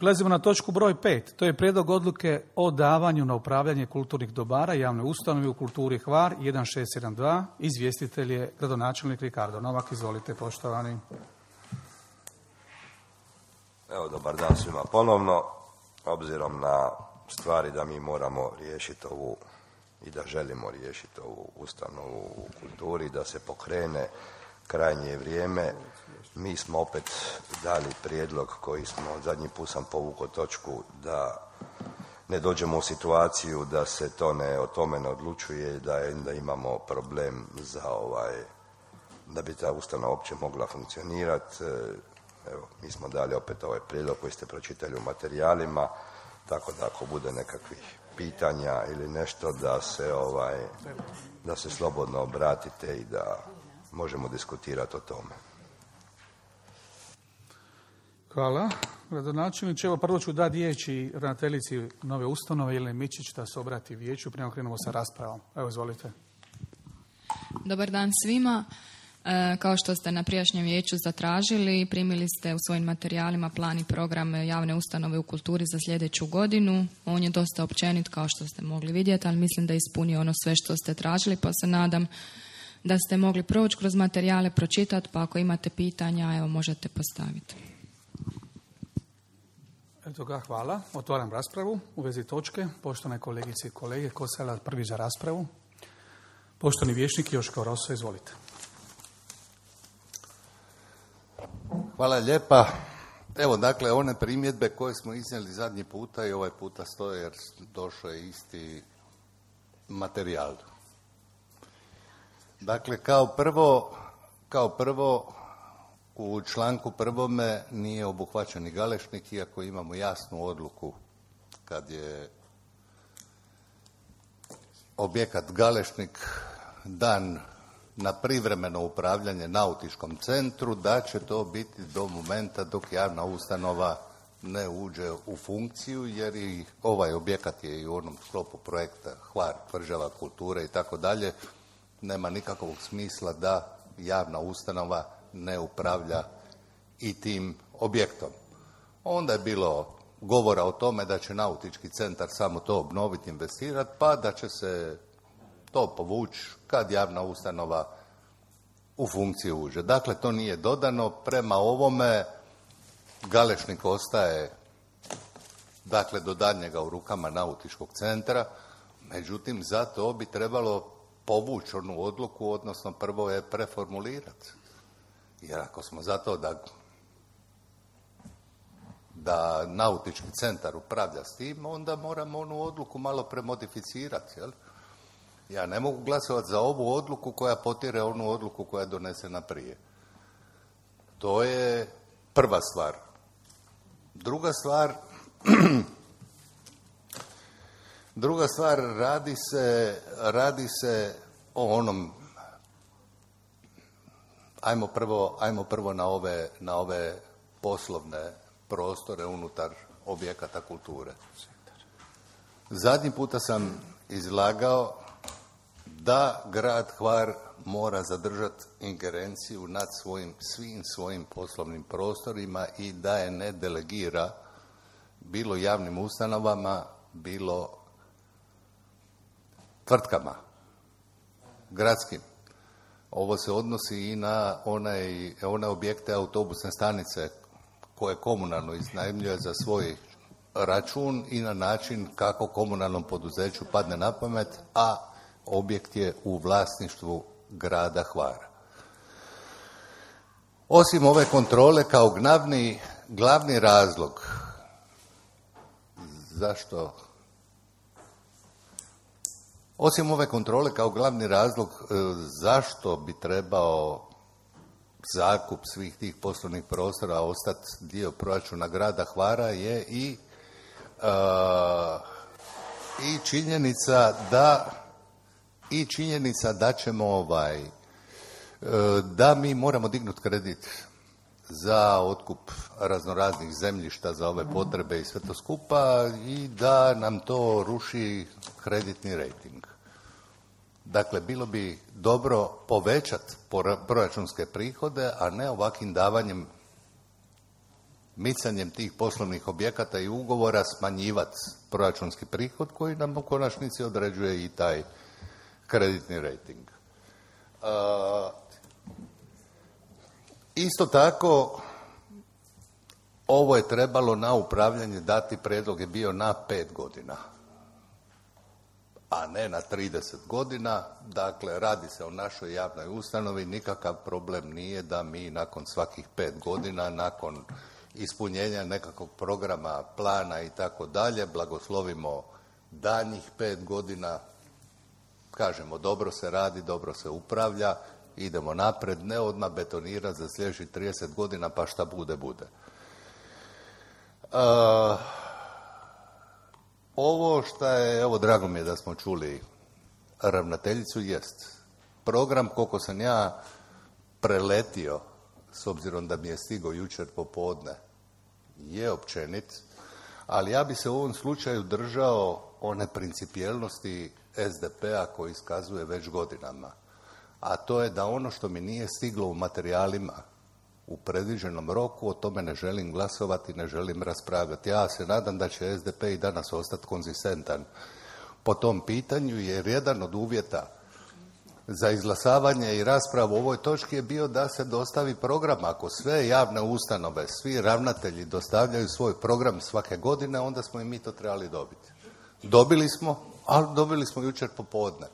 Prelazimo na točku broj 5. To je prijedlog odluke o davanju na upravljanje kulturnih dobara javne ustanove u kulturi Hvar 1672. Izvjestitelj je gradonačelnik Ricardo Novak. Izvolite, poštovani. Evo, dobar dan svima ponovno. Obzirom na stvari da mi moramo riješiti ovu i da želimo riješiti ovu ustanovu u kulturi, da se pokrene, krajnje je vrijeme. Mi smo opet dali prijedlog koji smo, zadnji put sam povukao točku, da ne dođemo u situaciju da se o tome ne odlučuje, da imamo problem da bi ta ustanova uopće mogla funkcionirati. Evo, mi smo dali opet ovaj prijedlog koji ste pročitali u materijalima, tako da ako bude nekakvih pitanja ili nešto da se slobodno obratite i da možemo diskutirati o tome. Hvala. Gradonačelniče, evo prvo ću dati riječi ravnateljici nove ustanove Jeleni Mičić da se obrati vijeću, prema krenemo sa raspravom. Evo, izvolite. Dobar dan svima. Kao što ste na prijašnjem vijeću zatražili, primili ste u svojim materijalima plan i program javne ustanove u kulturi za sljedeću godinu. On je dosta općenit, kao što ste mogli vidjeti, ali mislim da je ispunio ono sve što ste tražili, pa se nadam da ste mogli proći kroz materijale, pročitati, pa ako imate pitanja, evo, možete postaviti. Eto ga, hvala. Otvaram raspravu u vezi točke. Poštovane kolegice i kolege, ko se javlja prvi za raspravu? Poštovani vijećnik Joško Roso, izvolite. Hvala lijepa. Evo, dakle, one primjedbe koje smo iznijeli zadnji puta i ovaj puta stoje jer došao je isti materijal. Dakle, kao prvo u članku 1. nije obuhvaćen i Galešnik, iako imamo jasnu odluku kad je objekat Galešnik dan na privremeno upravljanje nautičkom centru, da će to biti do momenta dok javna ustanova ne uđe u funkciju, jer i ovaj objekat je i u onom sklopu projekta Hvar, tvrđava kulture i tako dalje. Nema nikakvog smisla da javna ustanova ne upravlja i tim objektom. Onda je bilo govora o tome da će nautički centar samo to obnoviti, investirati, pa da će se to povući kad javna ustanova u funkciju uđe. Dakle, to nije dodano. Prema ovome Galešnik ostaje, dakle, do daljnjega u rukama nautičkog centra, međutim, za to bi trebalo povući onu odluku, odnosno prvo je preformulirati. Jer ako smo za to da nautički centar upravlja s tim, onda moramo onu odluku malo premodificirati, jel? Ja ne mogu glasovati za ovu odluku koja potire onu odluku koja je donesena prije. To je prva stvar. Druga stvar, radi se o onom, ajmo prvo na ove poslovne prostore unutar objekata kulture. Zadnji puta sam izlagao da grad Hvar mora zadržati ingerenciju nad svim svojim poslovnim prostorima i da je ne delegira bilo javnim ustanovama, bilo tvrtkama gradskim. Ovo se odnosi i na one objekte autobusne stanice koje komunalno iznajmljuje za svoj račun i na način kako komunalnom poduzeću padne na pamet, a objekt je u vlasništvu grada Hvara. Osim ove kontrole kao glavni razlog zašto bi trebao zakup svih tih poslovnih prostora ostati dio proračuna grada Hvara je i činjenica da ćemo da mi moramo dignuti kredit za otkup raznoraznih zemljišta za ove potrebe i sve to skupa i da nam to ruši kreditni rejting. Dakle, bilo bi dobro povećati proračunske prihode, a ne ovakvim davanjem micanjem tih poslovnih objekata i ugovora smanjivati proračunski prihod koji nam u konačnici određuje i taj kreditni rejting. Isto tako, ovo je trebalo na upravljanje dati, prijedlog je bio na 5 godina, a ne na 30 godina. Dakle, radi se o našoj javnoj ustanovi, nikakav problem nije da mi nakon svakih 5 godina, nakon ispunjenja nekakvog programa, plana i tako dalje, blagoslovimo daljnjih 5 godina, kažemo dobro se radi, dobro se upravlja, idemo napred, ne odmah betonirati za sljedećih 30 godina pa šta bude, bude. Ovo što je, evo drago mi je da smo čuli ravnateljicu, jest program, koliko sam ja preletio, s obzirom da mi je stigao jučer popodne, je općenit, ali ja bi se u ovom slučaju držao one principijelnosti SDP-a koji iskazuje već godinama, a to je da ono što mi nije stiglo u materijalima u predviđenom roku, o tome ne želim glasovati, ne želim raspravljati. Ja se nadam da će SDP i danas ostati konzistentan po tom pitanju, jer jedan od uvjeta za izglasavanje i raspravu u ovoj točki je bio da se dostavi program. Ako sve javne ustanove, svi ravnatelji dostavljaju svoj program svake godine, onda smo i mi to trebali dobiti. Dobili smo, ali dobili smo jučer popodne.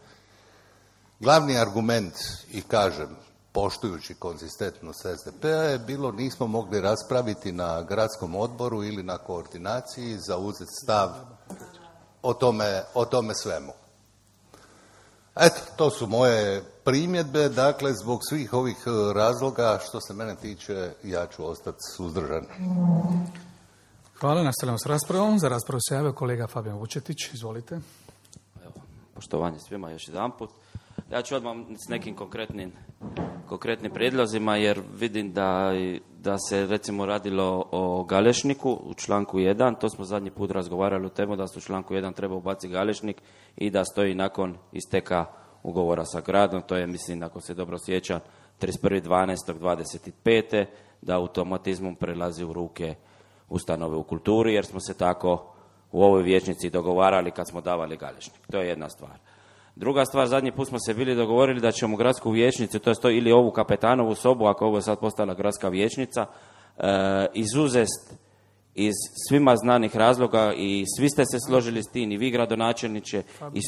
Glavni argument, i kažem, poštujući konzistentnost SDP-a, je bilo nismo mogli raspraviti na gradskom odboru ili na koordinaciji, zauzeti stav o tome svemu. Eto, to su moje primjedbe, dakle, zbog svih ovih razloga, što se mene tiče, ja ću ostati suzdržan. Hvala, nastavljamo s raspravom. Za raspravu se javio kolega Fabijan Vučetić, izvolite. Evo, poštovanje svima još jedanput. Ja ću odmah s nekim konkretnim prijedlozima, jer vidim da se recimo radilo o Galešniku u članku 1, to smo zadnji put razgovarali o temu da se u članku 1 treba ubaciti Galešnik i da stoji nakon isteka ugovora sa gradom, to je, mislim, ako se dobro sjećam, 31.12.25. da automatizmom prelazi u ruke ustanove u kulturi, jer smo se tako u ovoj vijećnici dogovarali kad smo davali Galešnik. To je jedna stvar. Druga stvar, zadnji put smo se bili dogovorili da ćemo gradsku vijećnicu, to je ili ovu kapetanovu sobu, ako ovo je sad postala gradska vijećnica, izuzest iz svima znanih razloga, i svi ste se složili s tim, i vi gradonačelniče, i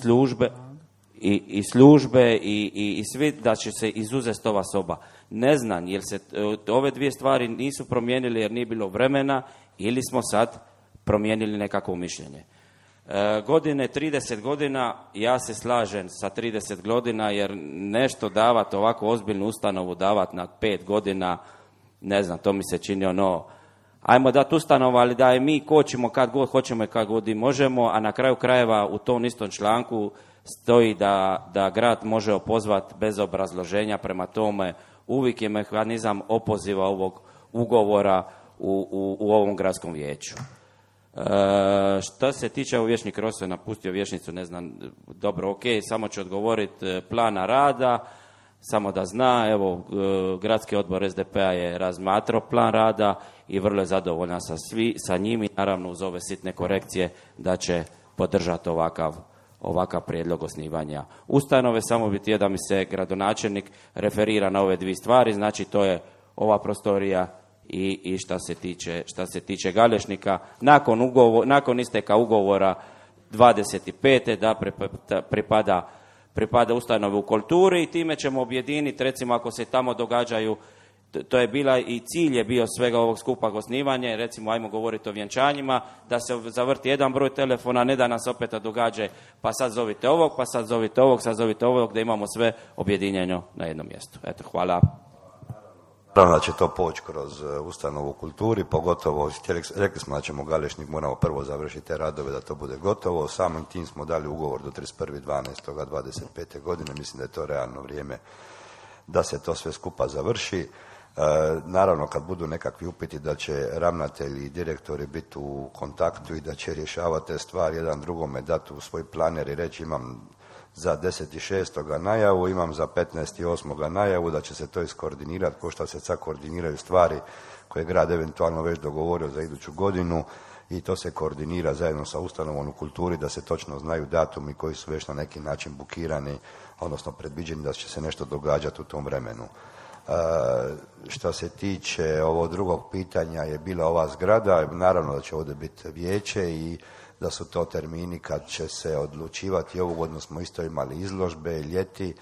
službe i svi, da će se izuzeti ova soba. Ne znam, jer se ove dvije stvari nisu promijenili jer nije bilo vremena, ili smo sad promijenili nekakvo mišljenje. Godine, 30 godina, ja se slažem sa 30 godina, jer nešto davati, ovako ozbiljnu ustanovu davati na 5 godina, ne znam, to mi se čini ajmo dati ustanovu, ali da je mi kočimo kad god hoćemo i kad god i možemo, a na kraju krajeva u tom istom članku stoji da grad može opozvati bez obrazloženja, prema tome uvijek je mehanizam opoziva ovog ugovora u ovom gradskom vijeću. Što se tiče, ovo vijećnik Rosso je napustio vijećnicu, ne znam, dobro, ok, samo ću odgovoriti plana rada, samo da zna, evo, gradski odbor SDP-a je razmatrao plan rada i vrlo je zadovoljan sa njim, i naravno uz ove sitne korekcije da će podržati ovakav prijedlog osnivanja ustanove. Samo bi htio da mi se gradonačelnik referira na ove dvije stvari, znači to je ova prostorija i šta se tiče Galešnika, nakon isteka ugovora 25. da pripada ustanovi u kulturi, i time ćemo objediniti, recimo ako se tamo događaju, to je bila i cilj je bio svega ovog skupa osnivanje, recimo ajmo govoriti o vjenčanjima, da se zavrti jedan broj telefona, ne da nas opet događa pa sad zovite ovog, pa sad zovite ovog, sad zovite ovog, da imamo sve objedinjeno na jednom mjestu. Eto, hvala. Naravno da će to poći kroz ustanovu u kulturi, pogotovo, rekli smo da ćemo Galešnik, moramo prvo završiti te radove da to bude gotovo, samim tim smo dali ugovor do 31.12.25. godine, mislim da je to realno vrijeme da se to sve skupa završi. Naravno, kad budu nekakvi upiti da će ravnatelji i direktori biti u kontaktu i da će rješavati te stvari jedan drugome, dati u svoj planer i reći imam za 10.6. najavu, imam za 15.8. najavu, da će se to iskoordinirati, ko što se sad koordiniraju stvari koje je grad eventualno već dogovorio za iduću godinu i to se koordinira zajedno sa ustanovom u kulturi da se točno znaju datumi koji su već na neki način bukirani, odnosno predviđeni da će se nešto događati u tom vremenu. Što se tiče ovog drugog pitanja je bila ova zgrada, naravno da će ovdje biti vijeće i da su to termini kad će se odlučivati. Ovu godinu smo isto imali izložbe ljeti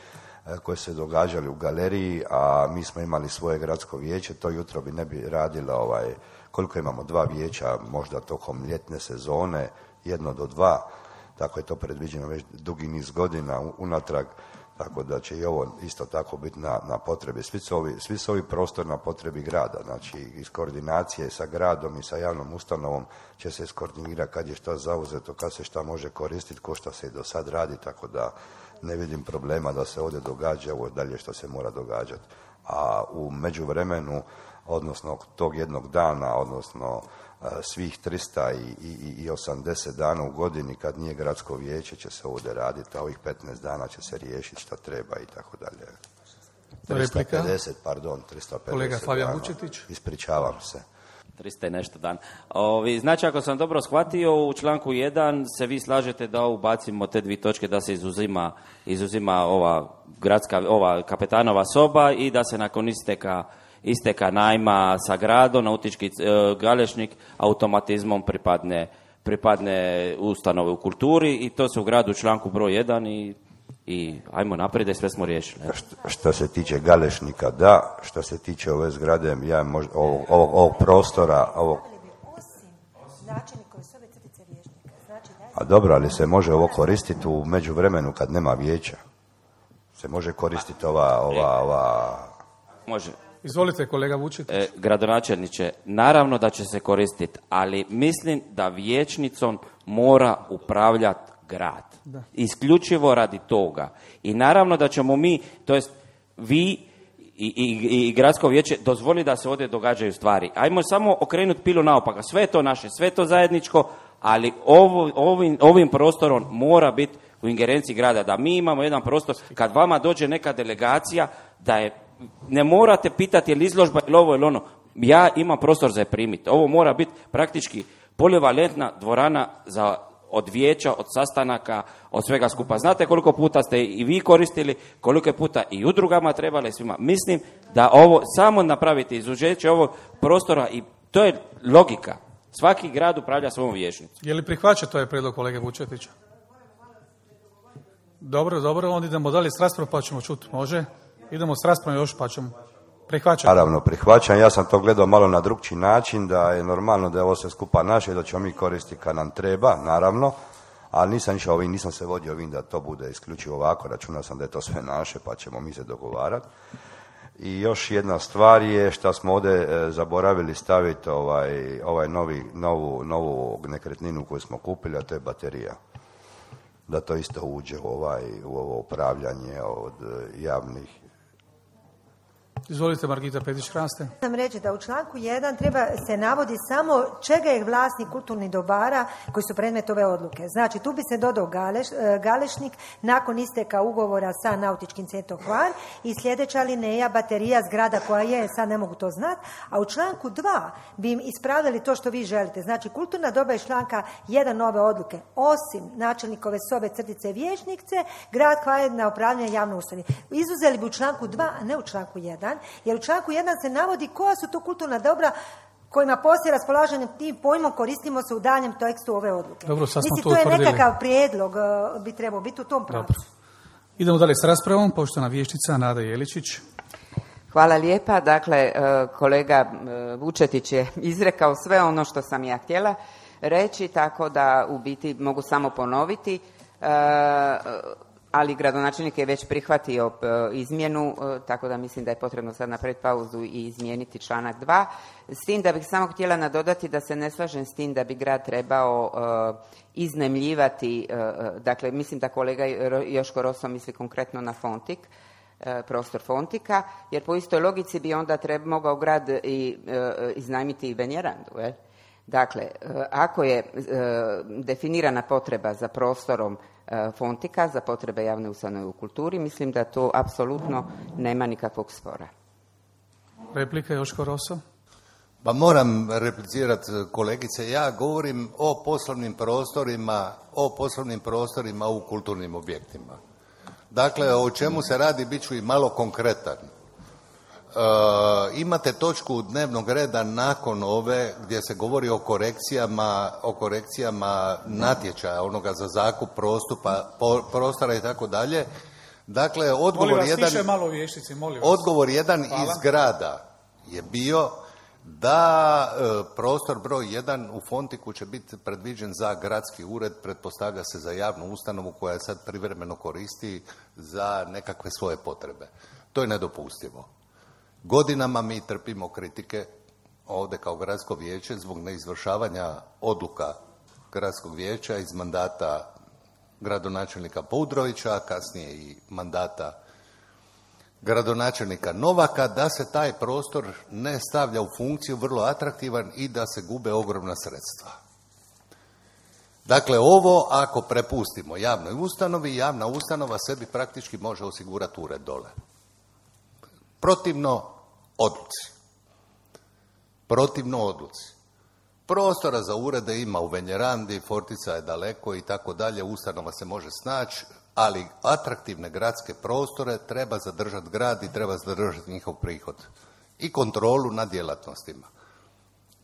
koje se događali u galeriji, a mi smo imali svoje gradsko vijeće, to jutro bi ne bi radilo koliko imamo 2 vijeća možda tokom ljetne sezone, 1 do 2, tako je to predviđeno već dugi niz godina unatrag, tako da će i ovo isto tako biti na potrebi. Svi su ovi prostor na potrebi grada, znači iz koordinacije sa gradom i sa javnom ustanovom će se iskoordinirati kad je šta zauzeto, kad se šta može koristiti, ko šta se i do sad radi, tako da ne vidim problema da se ovdje događa ovo dalje što se mora događati. A u međuvremenu, odnosno tog jednog dana, odnosno svih 380 dana u godini kad nije gradsko vijeće će se ovdje raditi, a ovih 15 dana će se riješiti šta treba i tako dalje. 350 Kolega Flavijan Vučetić. Ispričavam se. 300 i nešto dan. Znači, ako sam dobro shvatio, u članku 1 se vi slažete da ubacimo te 2 točke, da se izuzima ova kapetanova soba i da se nakon isteka najma sa gradom, nautički Galešnik automatizmom pripadne ustanove u kulturi i to se u gradu u članku broj 1 i ajmo naprijed, sve smo riješili. Što se tiče Galešnika, da. Što se tiče ove zgrade, ovog prostora, A dobro, ali se može ovo koristiti u međuvremenu kad nema vijeća. Se može koristiti ova... Može. Izvolite, kolega Vučetić. Gradonačelniče, naravno da će se koristiti, ali mislim da vijećnicom mora upravljati grad. Da. Isključivo radi toga. I naravno da ćemo mi, to jest vi i gradsko vijeće dozvoli da se ovdje događaju stvari. Ajmo samo okrenuti pilu naopaka. Sve je to naše, sve je to zajedničko, ali ovim prostorom mora biti u ingerenciji grada. Da mi imamo jedan prostor, kad vama dođe neka delegacija, da je ne morate pitati je li izložba ili ovo ili ono. Ja imam prostor za je primiti. Ovo mora biti praktički polivalentna dvorana od vijeća, od sastanaka, od svega skupa. Znate koliko puta ste i vi koristili, koliko je puta i udrugama trebali svima. Mislim da ovo samo napravite izuzeće ovog prostora i to je logika. Svaki grad upravlja svom vijećnicom. Je li prihvaća to je prijedlog kolege Vučetića? Dobro, onda idemo dalje s raspravom pa ćemo čuti. Može? Idemo s raspravom još pa ćemo prihvaćati. Naravno, prihvaćam. Ja sam to gledao malo na drugčiji način, da je normalno da je ovo sve skupa naše i da ćemo mi koristiti kad nam treba, naravno, ali nisam se vodio ovim da to bude isključivo ovako, računao sam da je to sve naše pa ćemo mi se dogovarati. I još jedna stvar je što smo ovdje zaboravili staviti novu nekretninu koju smo kupili, a to je baterija. Da to isto uđe u ovo upravljanje od javnih. Izvolite, Margita Petić-Hraste. Sam reći da u članku 1 treba se navodi samo čega je vlasnik kulturnih dobara koji su predmet ove odluke. Znači, tu bi se dodao Galešnik nakon isteka ugovora sa Nautičkim centrom Hvar i sljedeća alineja baterija zgrada koja je, sad ne mogu to znati, a u članku 2 bi im ispravili to što vi želite. Znači, kulturna doba iz članka 1 nove odluke, osim načelnikove sobe crtice vijećnice, grad Hvar na upravljanje javne ustanove. Izuzeli bi u članku 2, a ne u članku 1, jer u članku 1 se navodi koja su to kulturna dobra kojima poslije raspolaženja tim pojmom koristimo se u daljem tekstu ove odluke. Dobro, sad smo to je nekakav prijedlog, bi trebao biti u tom pravcu. Idemo dalje s raspravom, poštovana vijećnica Nada Jeličić. Hvala lijepa. Dakle, kolega Vučetić je izrekao sve ono što sam ja htjela reći, tako da u biti mogu samo ponoviti. Ali gradonačelnik je već prihvatio izmjenu, tako da mislim da je potrebno sad napraviti pauzu i izmijeniti članak 2. S tim da bih samo htjela nadodati da se ne slažem s tim da bi grad trebao iznajmljivati, dakle mislim da kolega Joško Roso misli konkretno na Fontik, prostor Fontika, jer po istoj logici bi onda mogao grad iznajmiti i Benjerandu, jel? Dakle, ako je definirana potreba za prostorom Fontika, za potrebe javne ustanove u kulturi, mislim da to apsolutno nema nikakvog spora. Replika Joško Roso. Pa moram replicirati kolegice, ja govorim o poslovnim prostorima u kulturnim objektima. Dakle, o čemu se radi, bit ću i malo konkretan. Imate točku dnevnog reda nakon ove gdje se govori o korekcijama natječaja, onoga za zakup prostora i tako dalje. Dakle, odgovor jedan iz grada je bio da prostor broj 1 u Fontiku će biti predviđen za gradski ured, pretpostavlja se za javnu ustanovu koja je sad privremeno koristi za nekakve svoje potrebe. To je nedopustivo. Godinama mi trpimo kritike ovdje kao gradsko vijeće zbog neizvršavanja odluka gradskog vijeća iz mandata gradonačelnika Poudrovića, kasnije i mandata gradonačelnika Novaka, da se taj prostor ne stavlja u funkciju, vrlo atraktivan, i da se gube ogromna sredstva. Dakle, ovo ako prepustimo javnoj ustanovi, javna ustanova sebi praktički može osigurati ured dole. Protivno odluci. Prostora za urede ima u Venjerandi, Fortica je daleko i tako dalje, ustanova se može snaći, ali atraktivne gradske prostore treba zadržati grad i treba zadržati njihov prihod i kontrolu nad djelatnostima.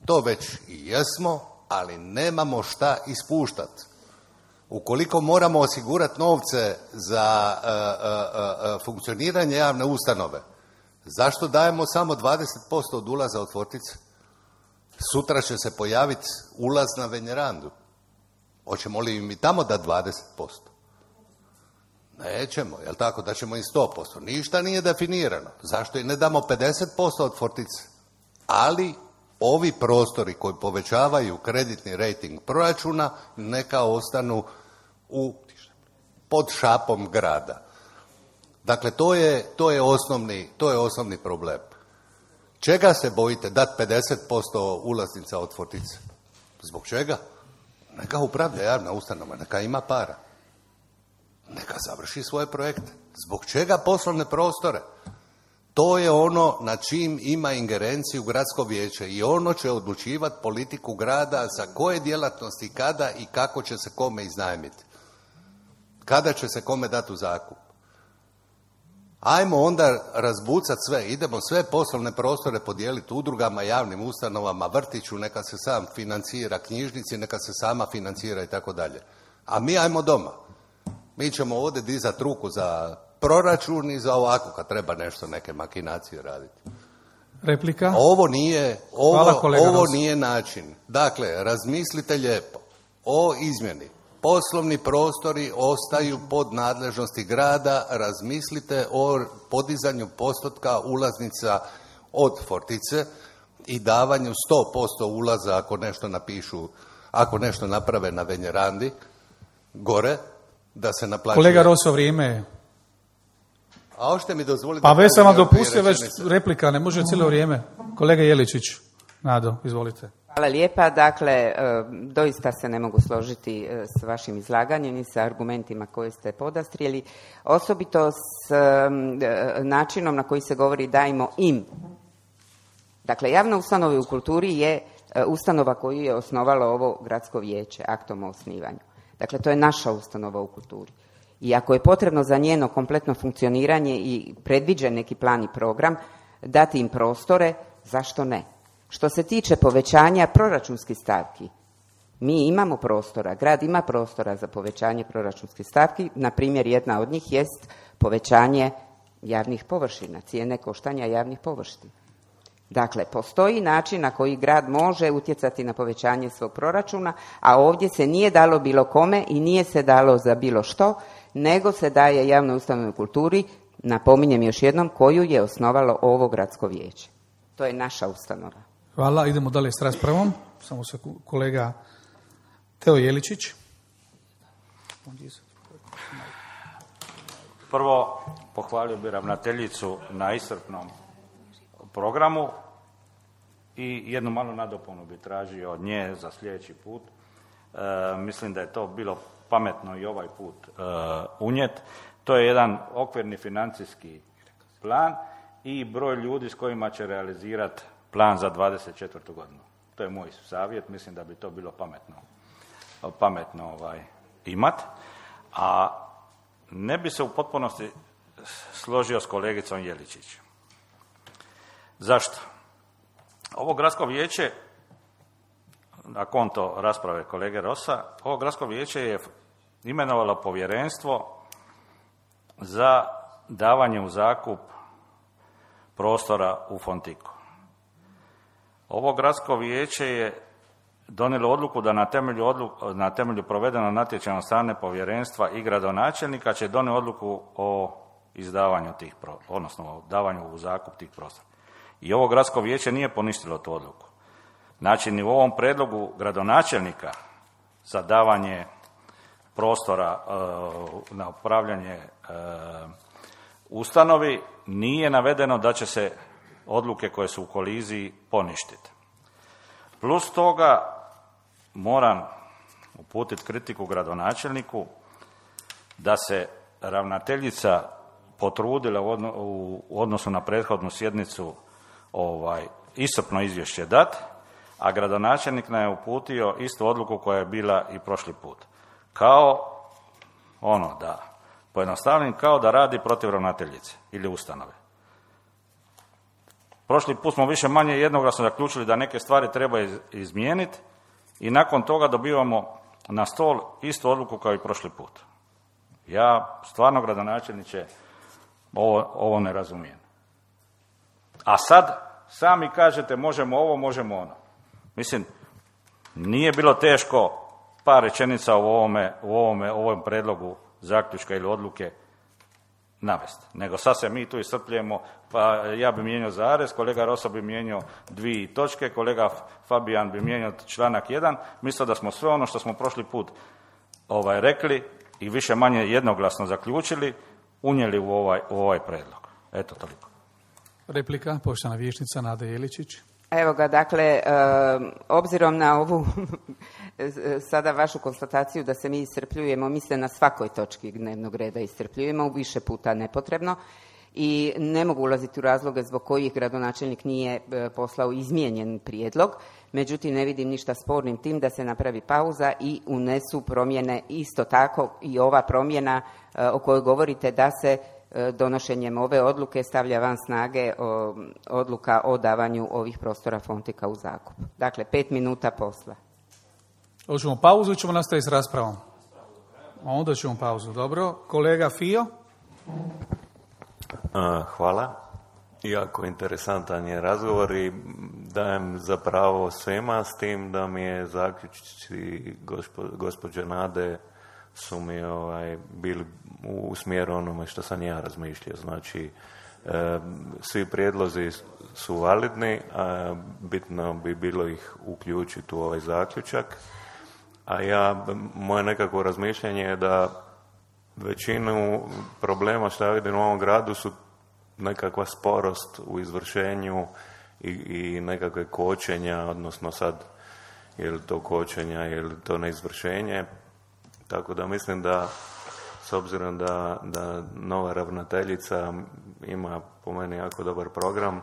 To već i jesmo, ali nemamo šta ispuštati. Ukoliko moramo osigurati novce za funkcioniranje javne ustanove, zašto dajemo samo 20% od ulaza od Fortice? Sutra će se pojaviti ulaz na Venjerandu. Hoćemo li im i tamo dati 20%? Nećemo, jel tako, da ćemo i 100%. Ništa nije definirano. Zašto i ne damo 50% od Fortice? Ali ovi prostori koji povećavaju kreditni rejting proračuna neka ostanu pod šapom grada. Dakle, to je osnovni problem. Čega se bojite dati 50% ulaznica od Fortice? Zbog čega? Neka upravlja javna ustanova, neka ima para. Neka završi svoje projekte. Zbog čega poslovne prostore? To je ono na čim ima ingerenciju gradsko vijeće i ono će odlučivati politiku grada za koje djelatnosti, kada i kako će se kome iznajmiti. Kada će se kome dati u zakup. Ajmo onda razbucati sve, idemo sve poslovne prostore podijeliti udrugama, javnim ustanovama, vrtiću, neka se sam financira, knjižnici, neka se sama financira i tako dalje. A mi ajmo doma. Mi ćemo ovdje dizati ruku za proračun i za ovako kad treba nešto, neke makinacije raditi. Replika? Ovo nije način. Dakle, razmislite lijepo o izmjeni. Poslovni prostori ostaju pod nadležnosti grada, razmislite o podizanju postotka ulaznica od Fortice i davanju 100% ulaza ako nešto naprave na Venjerandi, gore, da se naplaćuje. Kolega Roso, vrijeme je. A hoćete mi dozvoliti... Pa već sam vam dopustio, već replika, ne može cijelo vrijeme. Kolega Jeličić, Nado, izvolite. Hvala lijepa. Dakle, doista se ne mogu složiti s vašim izlaganjem i sa argumentima koje ste podastrijeli, osobito s načinom na koji se govori dajmo im. Dakle, javna ustanova u kulturi je ustanova koju je osnovalo ovo gradsko vijeće aktom o osnivanju. Dakle, to je naša ustanova u kulturi. I ako je potrebno za njeno kompletno funkcioniranje i predviđen neki plan i program, dati im prostore, zašto ne? Što se tiče povećanja proračunskih stavki, mi imamo prostora, grad ima prostora za povećanje proračunskih stavki, na primjer jedna od njih jest povećanje javnih površina, cijene koštanja javnih površina. Dakle, postoji način na koji grad može utjecati na povećanje svog proračuna, a ovdje se nije dalo bilo kome i nije se dalo za bilo što, nego se daje javnoj ustanovi u kulturi, napominjem još jednom, koju je osnovalo ovo gradsko vijeće. To je naša ustanova. Hvala, idemo dalje s raspravom. Samo se kolega Teo Jeličić. Prvo, pohvalio bi ravnateljicu na iscrpnom programu i jednu malu nadopunu bi tražio od nje za sljedeći put. Mislim da je to bilo pametno i ovaj put unijet. To je jedan okvirni financijski plan i broj ljudi s kojima će realizirati plan za 24. godinu. To je moj savjet, mislim da bi to bilo pametno imat. A ne bi se u potpunosti složio s kolegicom Jeličić. Zašto? Ovo gradsko vijeće, na konto rasprave kolege Rosa, ovo gradsko vijeće je imenovalo povjerenstvo za davanje u zakup prostora u Fontiku. Ovo gradsko vijeće je donijelo odluku da na temelju provedenog natječaja od strane povjerenstva i gradonačelnika će donijeti odluku o izdavanju odnosno o davanju u zakup tih prostora. I ovo gradsko vijeće nije poništilo tu odluku. Znači, ni u ovom predlogu gradonačelnika za davanje prostora na upravljanje ustanovi nije navedeno da će se odluke koje su u koliziji poništiti. Plus toga moram uputiti kritiku gradonačelniku da se ravnateljica potrudila u odnosu na prethodnu sjednicu iscrpno izvješće dati, a gradonačelnik nam je uputio istu odluku koja je bila i prošli put. Kao da pojednostavnim, kao da radi protiv ravnateljice ili ustanove. Prošli put smo više manje jednoglasno zaključili da neke stvari treba izmijeniti i nakon toga dobivamo na stol istu odluku kao i prošli put. Ja stvarno, gradonačelniče, ovo ne razumijem. A sad sami kažete možemo ovo, možemo ono. Mislim, nije bilo teško par rečenica u ovom predlogu zaključka ili odluke navesti. Nego sad se mi tu iscrpljujemo, pa ja bi mijenjao zarez, kolega Rosa bi mijenjao 2 točke, kolega Fabijan bi mijenjao članak 1. Mislim da smo sve ono što smo prošli put rekli i više manje jednoglasno zaključili, unijeli u ovaj predlog. Eto, toliko. Replika, poštovana vijećnica Nada Jeličić. Evo ga, dakle, obzirom na ovu sada vašu konstataciju da se mi iscrpljujemo, mi se na svakoj točki dnevnog reda iscrpljujemo, više puta nepotrebno, i ne mogu ulaziti u razloge zbog kojih gradonačelnik nije poslao izmijenjen prijedlog, međutim ne vidim ništa spornim tim da se napravi pauza i unesu promjene, isto tako i ova promjena o kojoj govorite, da se donošenjem ove odluke stavlja van snage odluka o davanju ovih prostora Fontika u zakup. Dakle, 5 minuta posla. Hoćemo pauzu i ćemo nastaviti s raspravom? Onda ćemo pauzu, dobro. Kolega Fio? Hvala. Jako interesantan je razgovor i dajem zapravo svima, s tim da mi je zaključci gospođe Nade su mi bili u smjeru onome što sam ja razmišljao. Znači, svi prijedlozi su validni, a bitno bi bilo ih uključiti u ovaj zaključak. A moje nekako razmišljanje je da većinu problema što ja vidim u ovom gradu su nekakva sporost u izvršenju i nekakve kočenja, odnosno sad je li to kočenja, je li to neizvršenje. Tako da mislim da, s obzirom da nova ravnateljica ima po meni jako dobar program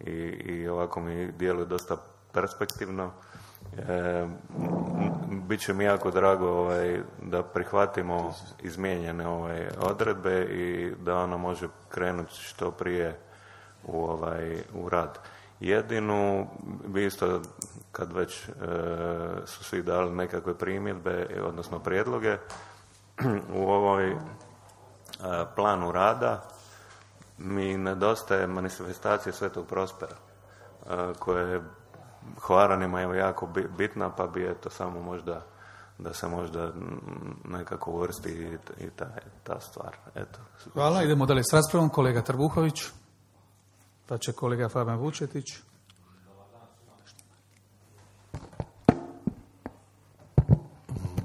i ovako mi djeluje dosta perspektivno, bit će mi jako drago da prihvatimo izmijenjene odredbe i da ona može krenuti što prije u rad. Jedinu bi isto, kad već su svi dali nekakve primjedbe, odnosno prijedloge, u ovoj planu rada mi nedostaje manifestacija Svetog Prospera, koja je Hvaranima je jako bitna, pa bi samo možda da se možda nekako uvrsti i ta stvar. Eto. Hvala, idemo dalje s raspravom. Kolega Trbuhović, pa će kolega Fabijan Vučetić.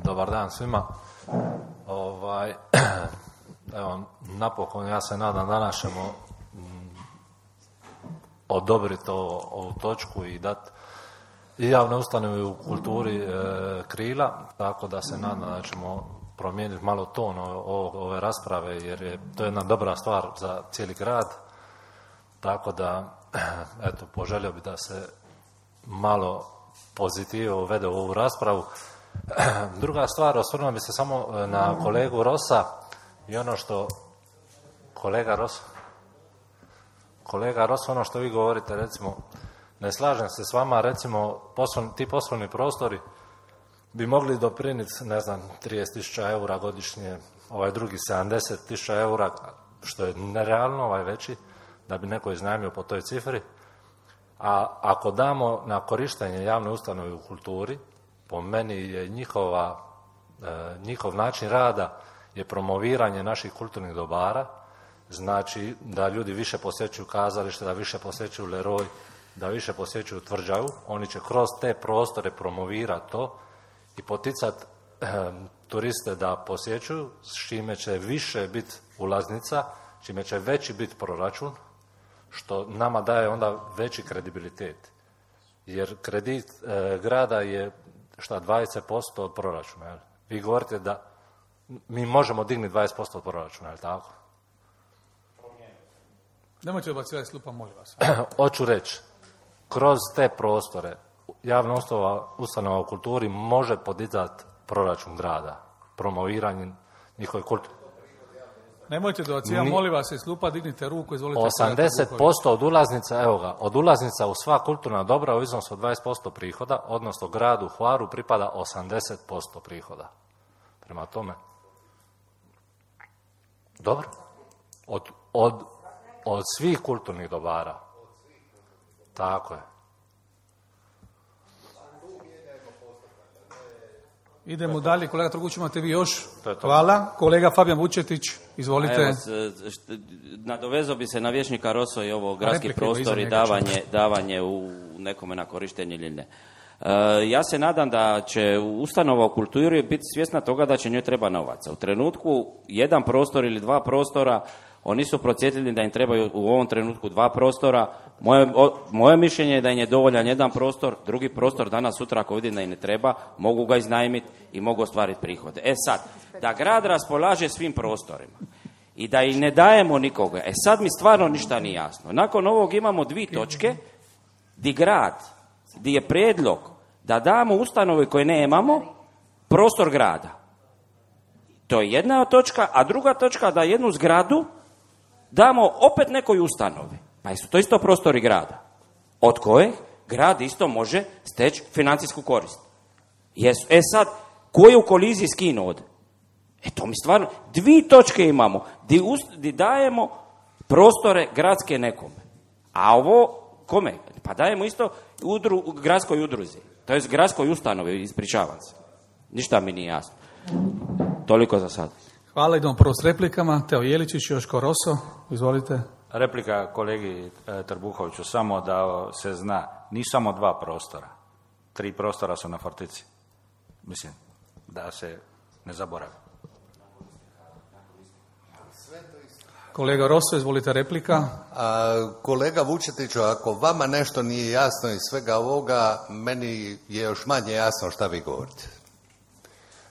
Dobar dan svima. Evo, napokon ja se nadam da ćemo odobriti ovu točku i dati i javne ustanove u kulturi krila, tako da se nadam da ćemo promijeniti malo ton ove rasprave, jer je to jedna dobra stvar za cijeli grad, tako da eto, poželio bi da se malo pozitive uvede u ovu raspravu. Druga stvar, osvrnuo bi se samo na kolegu Rosa i ono što kolega Ros, ono što vi govorite, recimo, ne slažem se s vama, recimo, ti poslovni prostori bi mogli dopriniti, ne znam, 30.000 eura godišnje, ovaj drugi 70.000 eura, što je nerealno, ovaj veći, da bi neko iznajmio po toj cifri. A ako damo na korištenje javne ustanove u kulturi, po meni je njihov način rada je promoviranje naših kulturnih dobara, znači da ljudi više posjećuju kazalište, da više posjećuju Leroy, da više posjećuju Tvrđavu, oni će kroz te prostore promovirati to i poticati turiste da posjećuju, s čime će više biti ulaznica, čime će veći biti proračun, što nama daje onda veći kredibilitet. Jer kredit grada je 20% od proračuna. Jel? Vi govorite da mi možemo dignuti 20% od proračuna, je li tako? Nemojte obacivati slupa, molim vas. Hoću reći, kroz te prostore javna ustanova u kulturi može podizati proračun grada, promoviranjem njihove kulture. Nemojte dobacivati, molim vas, iz slupa dignite ruku, izvolite. 80% od ulaznica, evo ga, od ulaznica u sva kulturna dobra u iznosu od 20% prihoda, odnosno gradu Hvaru pripada 80% prihoda. Prema tome, dobro, od svih kulturnih dobara. Tako je. Idemo dalje, kolega Trguć, imate vi još? Hvala. Kolega Fabijan Vučetić, izvolite. Evo, nadovezao bi se na vijećnika Roso i ovo gradski prostor i davanje u nekome na korištenje ili ne. Ja se nadam da će ustanova u kulturi biti svjesna toga da će njoj treba novaca. U trenutku jedan prostor ili dva prostora, oni su procijetili da im trebaju u ovom trenutku dva prostora. Moje mišljenje je da im je dovoljan jedan prostor, drugi prostor danas, sutra ako vidim da im ne treba, mogu ga iznajmiti i mogu ostvariti prihode. Sad, da grad raspolaže svim prostorima i da im ne dajemo nikoga, sad mi stvarno ništa nije jasno. Nakon ovog imamo 2 točke di je prijedlog da damo ustanovi koje nemamo prostor grada. To je jedna točka, a druga točka da jednu zgradu damo opet nekoj ustanovi. Pa su to isto prostori grada, od koje grad isto može steći financijsku korist. Sad, ko je u koliziji s kim ovdje? To mi stvarno, 2 točke imamo, di dajemo prostore gradske nekome. A ovo, kome? Pa dajemo isto gradskoj udruzi, to je gradskoj ustanovi, ispričavam se. Ništa mi nije jasno. Toliko za sad. Hvala, idemo prvo s replikama. Teo Jeličić, Joško Roso, izvolite. Replika kolegi Trbuhoviću, samo da se zna, nisu samo 2 prostora. 3 prostora su na Fortici. Mislim, da se ne zaboravi. Kolega Roso, izvolite replika. Kolega Vučetiću, ako vama nešto nije jasno iz svega ovoga, meni je još manje jasno šta vi govorite.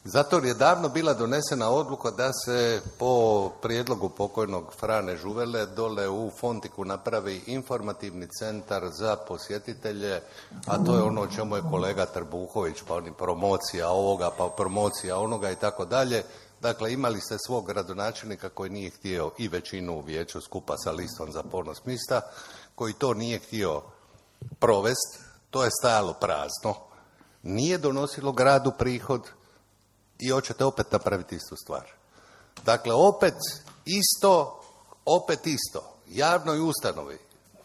Zato je davno bila donesena odluka da se po prijedlogu pokojnog Frane Žuvele dole u Fontiku napravi informativni centar za posjetitelje, a to je ono o čemu je kolega Trbuhović, pa oni promocija ovoga, pa promocija onoga i tako dalje. Dakle, imali ste svog gradonačelnika koji nije htio i većinu u vijeću skupa sa listom za ponos mista, koji to nije htio provesti, to je stajalo prazno, nije donosilo gradu prihod, i hoćete opet napraviti istu stvar. Dakle, opet isto, javnoj ustanovi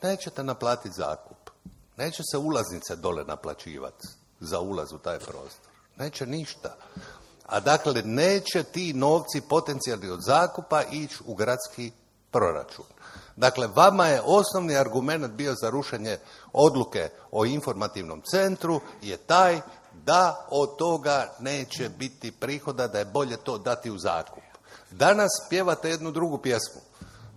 nećete naplatiti zakup, neće se ulaznice dole naplaćivati za ulaz u taj prostor, neće ništa. A dakle, neće ti novci potencijalni od zakupa ići u gradski proračun. Dakle, vama je osnovni argument bio za rušenje odluke o informativnom centru je taj da od toga neće biti prihoda, da je bolje to dati u zakup. Danas pjevate jednu drugu pjesmu.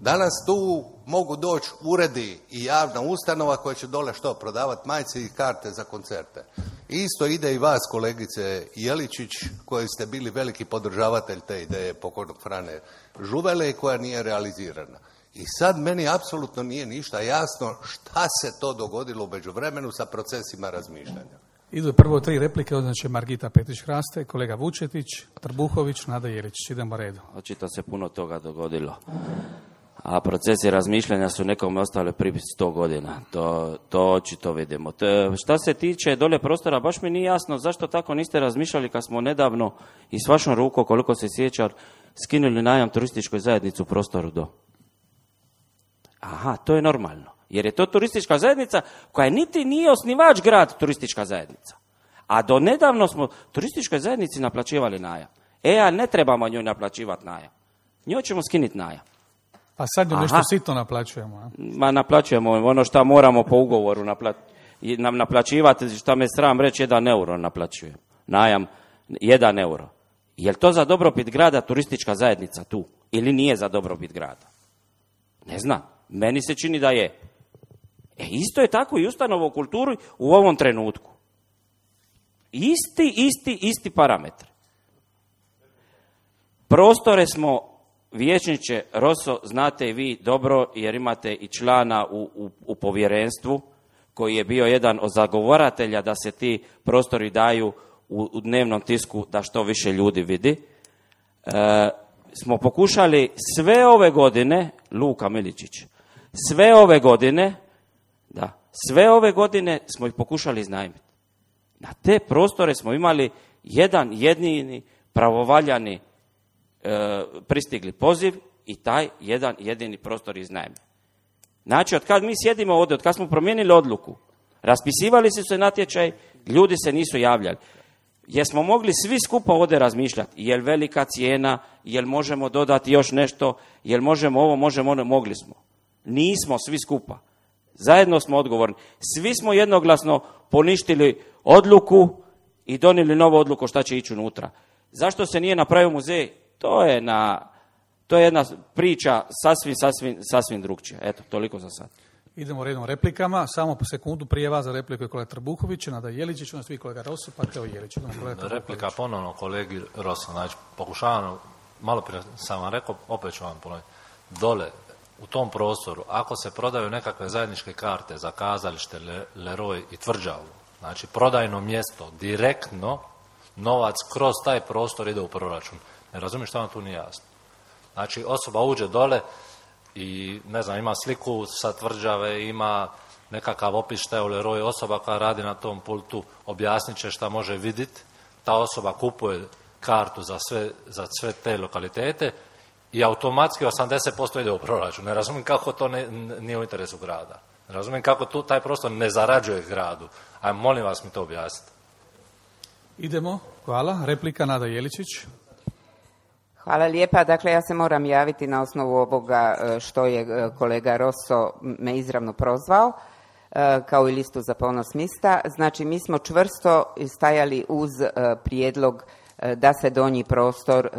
Danas tu mogu doći uredi i javna ustanova koja će dole što, prodavati majice i karte za koncerte. Isto ide i vas, kolegice Jeličić, koji ste bili veliki podržavatelj te ideje pokojnog Frane Žuvele i koja nije realizirana. I sad meni apsolutno nije ništa jasno šta se to dogodilo u međuvremenu sa procesima razmišljanja. Idu prvo 3 replike, onda će Margita Petrić-Hraste, kolega Vučetić, Trbuhović, Nada Jeličić. Idemo redu. Očito se puno toga dogodilo. A procesi razmišljanja su nekome ostale prije 100 godina. To očito vidimo. Šta se tiče dolje prostora, baš mi nije jasno zašto tako niste razmišljali kad smo nedavno i s vašom rukom, koliko se sjeća, skinuli najam turističkoj zajednici u prostoru do. Aha, to je normalno. Jer je to turistička zajednica koja niti nije osnivač grad turistička zajednica. A do nedavno smo turističkoj zajednici naplaćivali najam. A ne trebamo njoj naplaćivati najam. Njoj ćemo skinuti najam. A sad nešto sitno naplaćujemo. A? Ma naplaćujemo ono što moramo po ugovoru nam naplaćivati, što me sram reći, 1 euro naplaćujem. Najam 1 euro. Je li to za dobrobit grada turistička zajednica tu? Ili nije za dobrobit grada? Ne znam. Meni se čini da je. Isto je tako i ustanova u kulturi u ovom trenutku. Isti parametri. Prostore smo, vijećniče Rosso, znate i vi dobro, jer imate i člana u povjerenstvu, koji je bio jedan od zagovaratelja da se ti prostori daju u dnevnom tisku, da što više ljudi vidi. Smo pokušali sve ove godine, Luka Miličić, sve ove godine smo ih pokušali iznajmiti. Na te prostore smo imali jedan jedini pravovaljani pristigli poziv i taj jedan jedini prostor iznajmljen. Znači, od kad mi sjedimo ovdje, od kad smo promijenili odluku, raspisivali su se natječaj, ljudi se nisu javljali. Jer smo mogli svi skupa ovdje razmišljati, jel velika cijena, jel možemo dodati još nešto, jel možemo ovo, možemo ono, mogli smo. Nismo svi skupa. Zajedno smo odgovorni. Svi smo jednoglasno poništili odluku i donijeli novu odluku šta će ići unutra. Zašto se nije napravio muzej? To je jedna priča sasvim drugčija. Eto, toliko za sad. Idemo redom replikama. Samo po sekundu prije vas za repliku je kolega Trbuhović, Nada Jeličić, onda svi kolega Rosso, pa Teo Jelić. Replika ponovno kolegi Rosso. Znači, pokušavam, malo prije sam vam rekao, opet ću vam ponoviti. Dole, u tom prostoru, ako se prodaju nekakve zajedničke karte za kazalište, Leroy i Tvrđavu, znači prodajno mjesto, direktno, novac kroz taj prostor ide u proračun. Ne razumijem što vam tu nije jasno. Znači, osoba uđe dole i, ne znam, ima sliku sa Tvrđave, ima nekakav opis šta je u Leroy, osoba koja radi na tom pultu objasnit će šta može vidjeti, ta osoba kupuje kartu za sve te lokalitete i automatski 80% ide u proračun. Ne razumijem kako to nije u interesu grada. Ne razumijem kako taj prostor ne zarađuje gradu. Ajmo, molim vas mi to objasniti. Idemo, hvala. Replika Nada Jeličić. Hvala lijepa. Dakle, ja se moram javiti na osnovu ovoga što je kolega Rosso me izravno prozvao, kao i listu za ponos mista. Znači, mi smo čvrsto stajali uz prijedlog da se donji prostor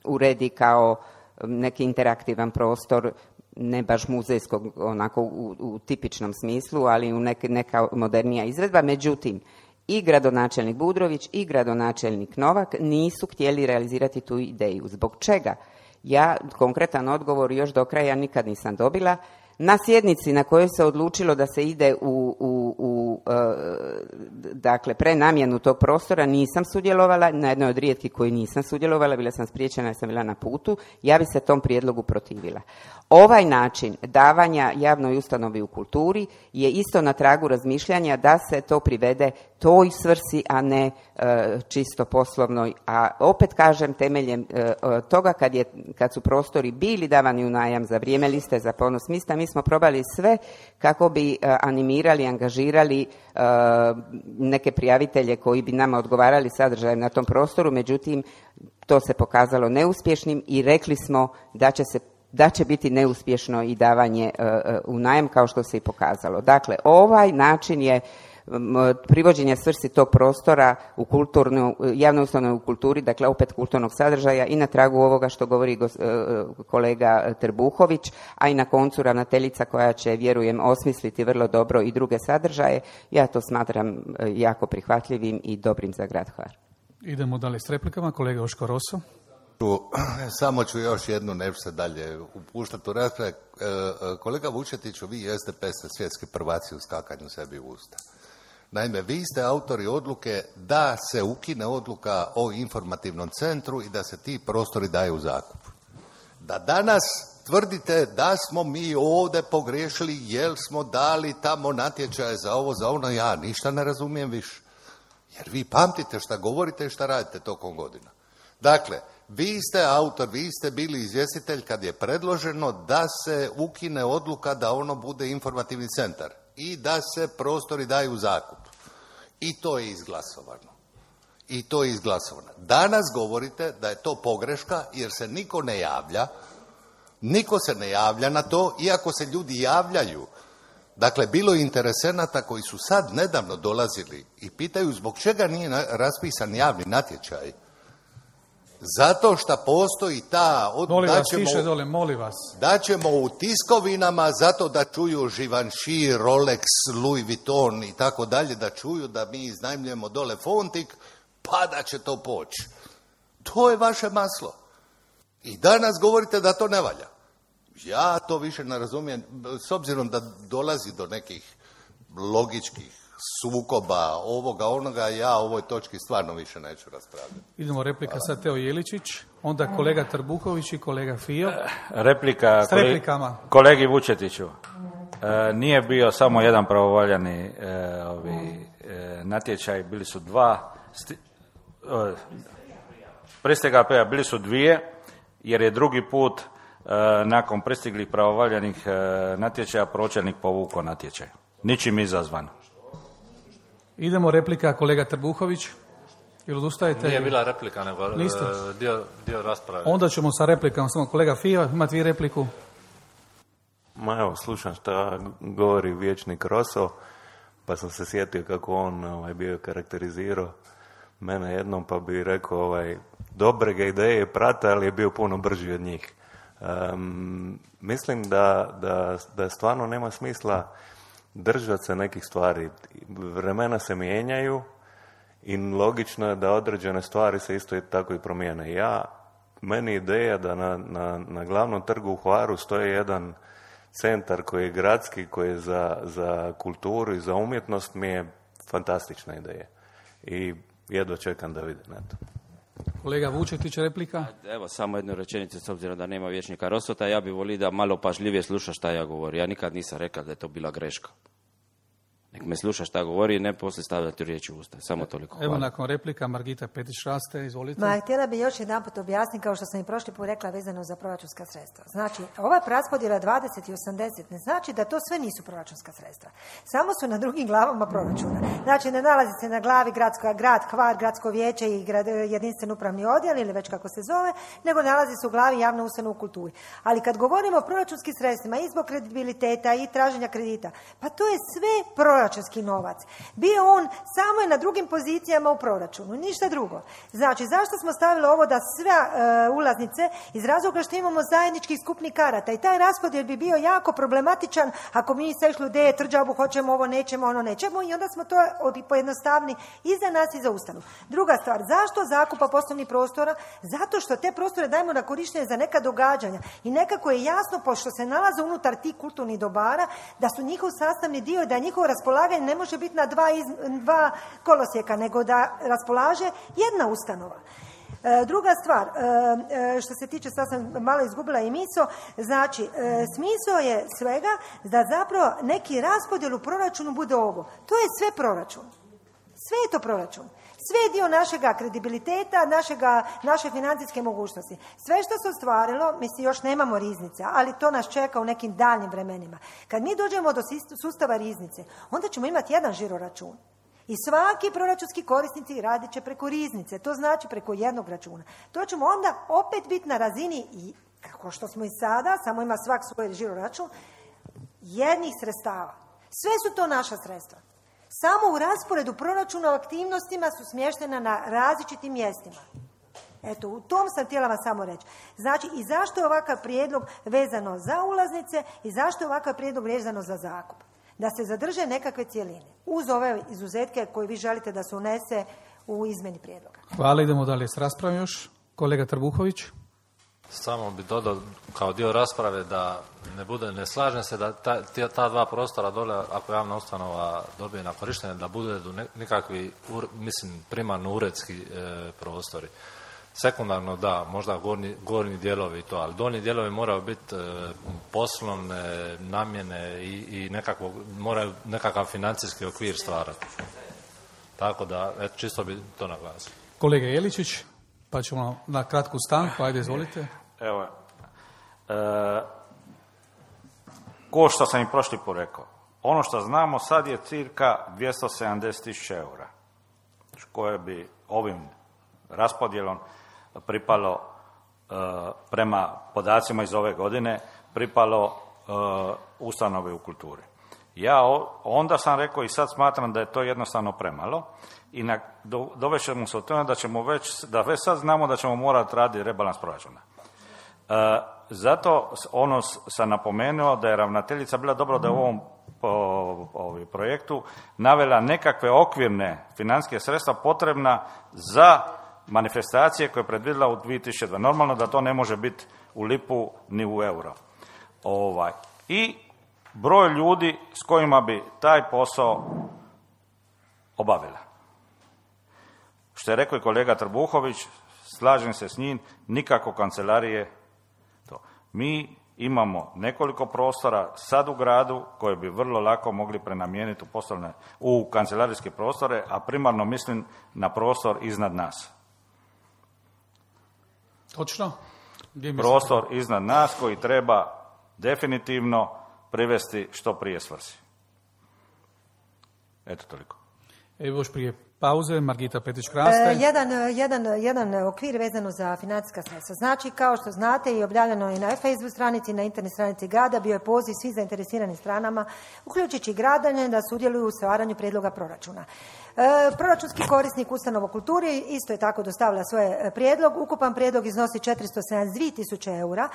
uredi kao neki interaktivan prostor, ne baš muzejskog onako u tipičnom smislu, ali u neka modernija izvedba. Međutim, i gradonačelnik Budrović i gradonačelnik Novak nisu htjeli realizirati tu ideju. Zbog čega? Ja konkretan odgovor još do kraja nikad nisam dobila. Na sjednici na kojoj se odlučilo da se ide dakle, prenamjenu tog prostora nisam sudjelovala, na jednoj od rijetkih koji nisam sudjelovala, bila sam spriječena jer sam bila na putu, ja bi se tom prijedlogu protivila. Ovaj način davanja javnoj ustanovi u kulturi je isto na tragu razmišljanja da se to privede toj svrsi, a ne čisto poslovnoj. A opet kažem, temeljem toga kad su prostori bili davani u najam za vrijeme liste za ponos mista, mi smo probali sve kako bi animirali, angažirali neke prijavitelje koji bi nama odgovarali sadržajem na tom prostoru, međutim to se pokazalo neuspješnim i rekli smo da će biti neuspješno i davanje u najam, kao što se i pokazalo. Dakle, ovaj način je privođenja svrsi tog prostora u javnoj ustanovi u kulturi, dakle opet kulturnog sadržaja, i na tragu ovoga što govori kolega Trbuhović, a i na koncu ravnateljica koja će, vjerujem, osmisliti vrlo dobro i druge sadržaje. Ja to smatram jako prihvatljivim i dobrim za grad Hvar. Idemo dalje s replikama. Kolega Joško Rosso. Samo ću još jednu, neću se dalje upuštati u rasprave. Kolega Vučetiću, vi i SDP ste svjetski prvaci u skakanju sebi u usta. Naime, vi ste autori odluke da se ukine odluka o informativnom centru i da se ti prostori daju u zakup. Da danas tvrdite da smo mi ovdje pogriješili jer smo dali tamo natječaje za ovo, za ono, ja ništa ne razumijem više. Jer vi pamtite šta govorite i šta radite tokom godina. Dakle, vi ste autor, vi ste bili izvjestitelj kad je predloženo da se ukine odluka da ono bude informativni centar i da se prostori daju u zakup. I to je izglasovano. Danas govorite da je to pogreška jer se niko ne javlja. Niko se ne javlja na to, iako se ljudi javljaju. Dakle, bilo je interesenata koji su sad nedavno dolazili i pitaju zbog čega nije raspisan javni natječaj. Zato što postoji ta... Molim vas. Da ćemo u tiskovinama zato da čuju Givenchy, Rolex, Louis Vuitton i tako dalje, da čuju da mi iznajmljujemo dole Fontik, pa da će to poći. To je vaše maslo. I danas govorite da to ne valja. Ja to više ne razumijem, s obzirom da dolazi do nekih logičkih sukoba, ovoga, onoga, ja o ovoj točki stvarno više neću raspravljati. Idemo replika sad Teo Jeličić, onda kolega Trbuković i kolega Fio. Replika kolegi Vučetiću. Nije bio samo jedan pravovaljani natječaj, bili su dva. Pristige AP-a bili su dvije, jer je drugi put nakon pristiglih pravovaljanih natječaja pročelnik povukao natječaj. Ničim izazvan. Idemo replika kolega Trbuhović. Ili odustajete? Nije bila replika, nego dio rasprave. Onda ćemo sa replikama. Samo kolega Fio, imate vi repliku? Ma evo, slušam šta govori vijećnik Roso, pa sam se sjetio kako on bio karakterizirao mene jednom, pa bi rekao dobre ga ideje prate, ali je bio puno brži od njih. Mislim da stvarno nema smisla držati se nekih stvari. Vremena se mijenjaju i logično je da određene stvari se isto tako i promijene. Meni ideja da na glavnom trgu u Hvaru stoji jedan centar koji je gradski, koji je za kulturu i za umjetnost, mi je fantastična ideja. I jedva čekam da vidim. Eto. Kolega Vučetić, replika? Evo, samo jednu rečenicu, s obzirom da nema vijećnika Rosota, ja bih volio da malo pažljivije sluša šta ja govorim. Ja nikad nisam rekao da je to bila greška. Nek me sluša šta govori i ne poslije stavljati riječi u usta. Samo toliko. Hvala. Evo nakon replika Margita Petić-Raste, izvolite. Htjela bih još jedan put objasniti, kao što sam i prošli put rekla, vezano za proračunska sredstva. Znači, ova raspodjela 20 i 80 ne znači da to sve nisu proračunska sredstva. Samo su na drugim glavama proračuna. Znači, ne nalazi se na glavi grad Hvar, gradsko vijeće i jedinstven upravni odjel ili već kako se zove, nego nalazi se u glavi javna ustanova u kulturi. Ali kad govorimo o proračunskim sredstvima i zbog kredibiliteta i traženja kredita, pa to je sve proračunski novac. Bio on samo je na drugim pozicijama u proračunu, ništa drugo. Znači, zašto smo stavili ovo da sve ulaznice? Iz razloga što imamo zajedničkih skupnih karata i taj raspodjel bi bio jako problematičan ako mi se išli ideje tvrđavu, hoćemo ovo, nećemo, ono nećemo, i onda smo to pojednostavni i za nas i za ustanovu. Druga stvar, zašto zakupa poslovnih prostora? Zato što te prostore dajemo na korištenje za neka događanja i nekako je jasno, pošto se nalaze unutar tih kulturnih dobara, da su njihov sastavni dio i da njihovo raspolaganje ne može biti na dva kolosijeka, nego da raspolaže jedna ustanova. Druga stvar, što se tiče, sad sam malo izgubila i misao, znači, smisao je svega da zapravo neki raspodjel u proračunu bude ovo. To je sve proračun. Sve je to proračun. Sve je dio našega kredibiliteta, naše financijske mogućnosti. Sve što se ostvarilo, mislim, još nemamo riznice, ali to nas čeka u nekim daljnim vremenima. Kad mi dođemo do sustava riznice, onda ćemo imati jedan žiroračun. I svaki proračunski korisnici radit će preko riznice, to znači preko jednog računa. To ćemo onda opet biti na razini, i kako što smo i sada, samo ima svak svoj žiroračun, jednih sredstava. Sve su to naša sredstva. Samo u rasporedu proračuna o aktivnostima su smještena na različitim mjestima. Eto, u tom sam htjela vam samo reći. Znači, i zašto je ovakav prijedlog vezano za ulaznice i zašto je ovakav prijedlog vezano za zakup? Da se zadrže nekakve cjeline, uz ove izuzetke koje vi želite da se unese u izmjeni prijedloga. Hvala, idemo dalje s raspravom još. Kolega Trbuhović. Samo bi dodao kao dio rasprave da ne slažem se da ta dva prostora dole, ako javna ustanova dobije na korištenje, da bude nikakvi, primarno uredski prostori. Sekundarno da, možda gornji dijelovi to, ali donji dijelovi moraju biti poslovne namjene i moraju nekakav financijski okvir stvarati. Tako da, čisto bi to naglasio. Kolega Jeličić, pa ćemo na kratku stanku, ajde izvolite. Evo, ko što sam i prošli put rekao, ono što znamo sad je cirka 270.000 eura, koje bi ovim raspodjelom pripalo, prema podacima iz ove godine, pripalo ustanovi u kulturi. Ja onda sam rekao i sad smatram da je to jednostavno premalo i dovešćemo se od toga da već sad znamo da ćemo morati raditi rebalans proračuna. Zato sam napomenuo da je ravnateljica bila dobro da je u ovom projektu navela nekakve okvirne financijske sredstva potrebna za manifestacije koje je predvidjela u 2002. Normalno da to ne može biti u lipu ni u euro. I broj ljudi s kojima bi taj posao obavila. Što je rekao i kolega Trbuhović, slažem se s njim, nikako kancelarije to. Mi imamo nekoliko prostora sad u gradu koje bi vrlo lako mogli prenamijeniti u kancelarijske prostore, a primarno mislim na prostor iznad nas. Točno? Prostor iznad nas koji treba definitivno privesti što prije svrsi. Eto toliko. Evo još prije pauze, Margita Petić-Kraste. Jedan okvir vezano za financijska sredstva. Znači, kao što znate i objavljeno je na Facebook stranici, na internet stranici grada, bio je poziv svih zainteresiranim stranama, uključujući i gradanje, da sudjeluju u stvaranju prijedloga proračuna. Proračunski korisnik ustanova kulturi isto je tako dostavila svoj prijedlog. Ukupan prijedlog iznosi 472.000 eura.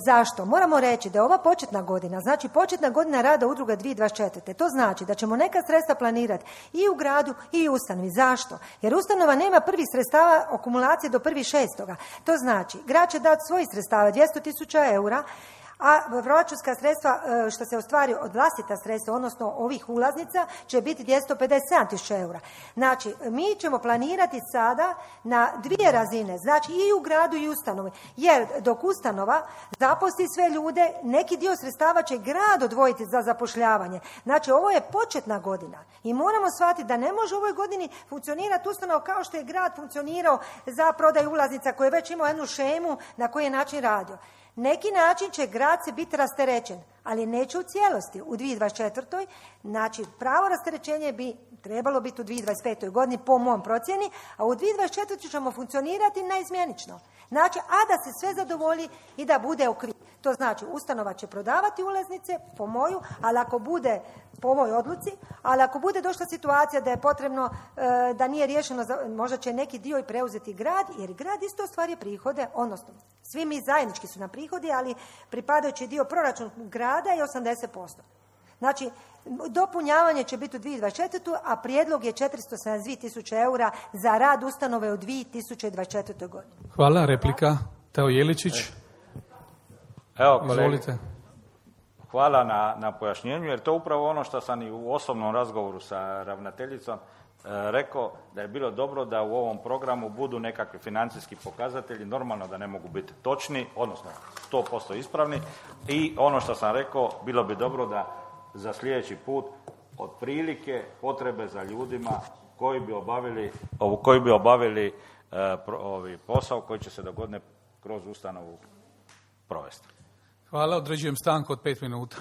Zašto? Moramo reći da je ova početna godina, znači početna godina rada udruga 2024. To znači da ćemo neka sredstva planirati i u gradu i u ustanovi. Zašto? Jer ustanova nema prvih sredstava akumulacije do 1.6. To znači, grad će dati svojih sredstava 200.000 eura, a proračunska sredstva što se ostvari od vlastita sredstva, odnosno ovih ulaznica, će biti 257.000 eura. Znači, mi ćemo planirati sada na dvije razine, znači i u gradu i u ustanovi, jer dok ustanova zaposli sve ljude, neki dio sredstava će grad odvojiti za zapošljavanje. Znači, ovo je početna godina i moramo shvatiti da ne može u ovoj godini funkcionirati ustanova kao što je grad funkcionirao za prodaju ulaznica, koji je već imao jednu šemu na koji je način radio. Neki način će grad se biti rasterećen, ali neće u cijelosti. U 2024. znači pravo rasterećenje bi trebalo biti u 2025. godini po mom procjeni, a u 2024. ćemo funkcionirati naizmjenično. Znači, a da se sve zadovolji i da bude okvir. To znači, ustanova će prodavati ulaznice po moju, ali ako bude po mojoj odluci, ali ako bude došla situacija da je potrebno, da nije riješeno, možda će neki dio i preuzeti grad, jer grad isto ostvaruje prihode, odnosno svi mi zajednički su na prihodi, ali pripadajući dio proračun grada je 80%. Znači, dopunjavanje će biti u 2024. a prijedlog je 472.000 eura za rad ustanove u 2024. godini. Hvala, replika. Teo Jeličić. Evo, kolega, izvolite. Hvala na pojašnjenju, jer to upravo ono što sam i u osobnom razgovoru sa ravnateljicom rekao, da je bilo dobro da u ovom programu budu nekakvi financijski pokazatelji, normalno da ne mogu biti točni, odnosno 100% ispravni, i ono što sam rekao, bilo bi dobro da za sljedeći put otprilike potrebe za ljudima koji bi obavili posao koji će se dogodne kroz ustanovu provesti. Hvala, određujem stanku od 5 minuta.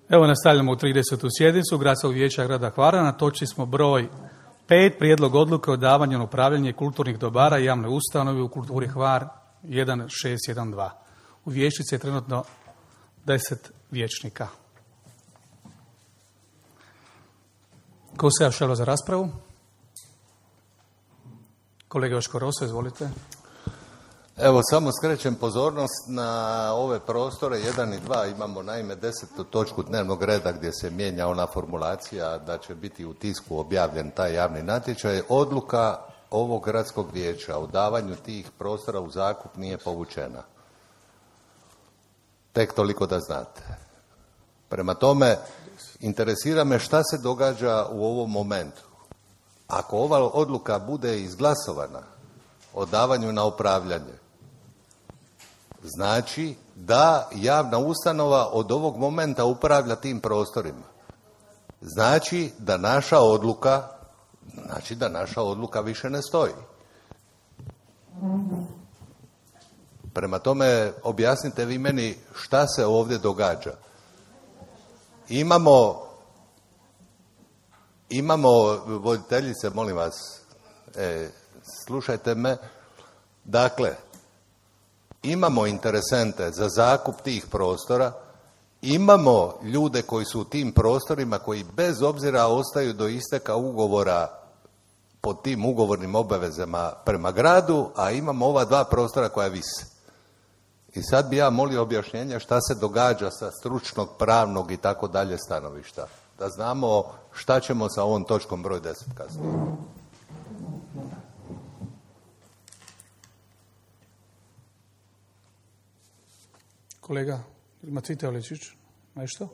Evo nastavljamo u 30. sjednicu Gradskog vijeća grada Hvara. Na točci smo broj 5, prijedlog odluke o davanju na upravljanje kulturnih dobara i javne ustanove u kulturi Hvar 1612. U vijećnici je trenutno 10 vijećnika. Ko se javšalo za raspravu? Kolega Joško Roso, izvolite. Evo, samo skrećem pozornost na ove prostore 1 i 2. Imamo naime 10. točku dnevnog reda gdje se mijenja ona formulacija da će biti u tisku objavljen taj javni natječaj. Odluka ovog gradskog vijeća o davanju tih prostora u zakup nije povučena. Tek toliko da znate. Prema tome, interesira me šta se događa u ovom momentu. Ako ova odluka bude izglasovana o davanju na upravljanje, znači da javna ustanova od ovog momenta upravlja tim prostorima. Znači da naša odluka više ne stoji. Prema tome, objasnite vi meni šta se ovdje događa. Imamo, voditeljice, molim vas, slušajte me, dakle, imamo interesente za zakup tih prostora, imamo ljude koji su u tim prostorima koji bez obzira ostaju do isteka ugovora pod tim ugovornim obavezama prema gradu, a imamo ova 2 prostora koja vise. I sad bi ja molio objašnjenja šta se događa sa stručnog, pravnog i tako dalje stanovišta. Da znamo šta ćemo sa ovom točkom broj 10 kasnije. Kolega Matvite Oličić, nešto?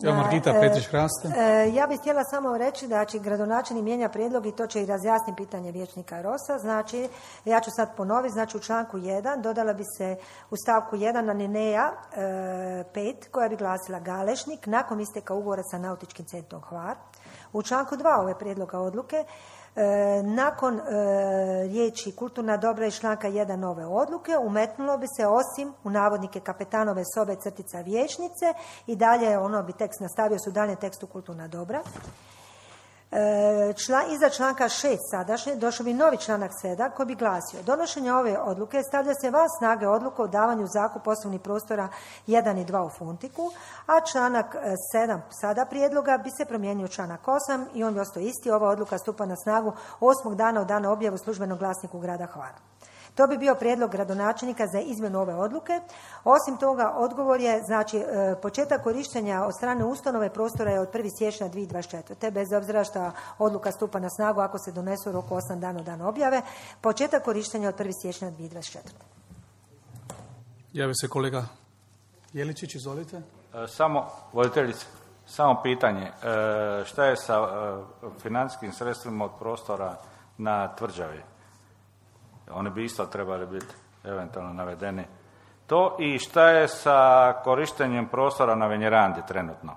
Evo Margita Petrić-Hraste. Ja bih htjela samo reći da će gradonačelnik mijenja prijedlog i to će i razjasniti pitanje vijećnika Rosa. Znači, ja ću sad ponoviti, znači u članku 1 dodala bi se u stavku 1 alineja 5 koja bi glasila Galešnik nakon isteka ugovora sa Nautičkim centrom Hvar. U članku 2 ove prijedloga odluke nakon riječi kulturna dobra iz članka 1 nove odluke umetnulo bi se osim u navodnike kapetanove sobe crtica vijećnice i dalje ono bi tekst nastavio su dalje tekstu kulturna dobra. Iza članka 6 sadašnje došao bi novi članak 7 koji bi glasio donošenje ove odluke stavlja se van snage odluka o davanju zakup poslovnih prostora 1 i 2 u Funtiku, a članak 7 sada prijedloga bi se promijenio u članak 8 i on bi ostao isti. Ova odluka stupa na snagu 8. dana od dana objave u službenom glasniku grada Hvara. To bi bio prijedlog gradonačelnika za izmjenu ove odluke. Osim toga, odgovor je, znači, početak korištenja od strane ustanove prostora je od 1. siječnja 2024. Bez obzira što odluka stupa na snagu ako se donese u roku 8 dana od dana objave, početak korištenja od 1. siječnja 2024. Javi se kolega Jeličić, izvolite. Samo, voditeljice, samo pitanje. Šta je sa financijskim sredstvima od prostora na Tvrđavi? Oni bi isto trebali biti eventualno navedeni. To i šta je sa korištenjem prostora na Venjerandi trenutno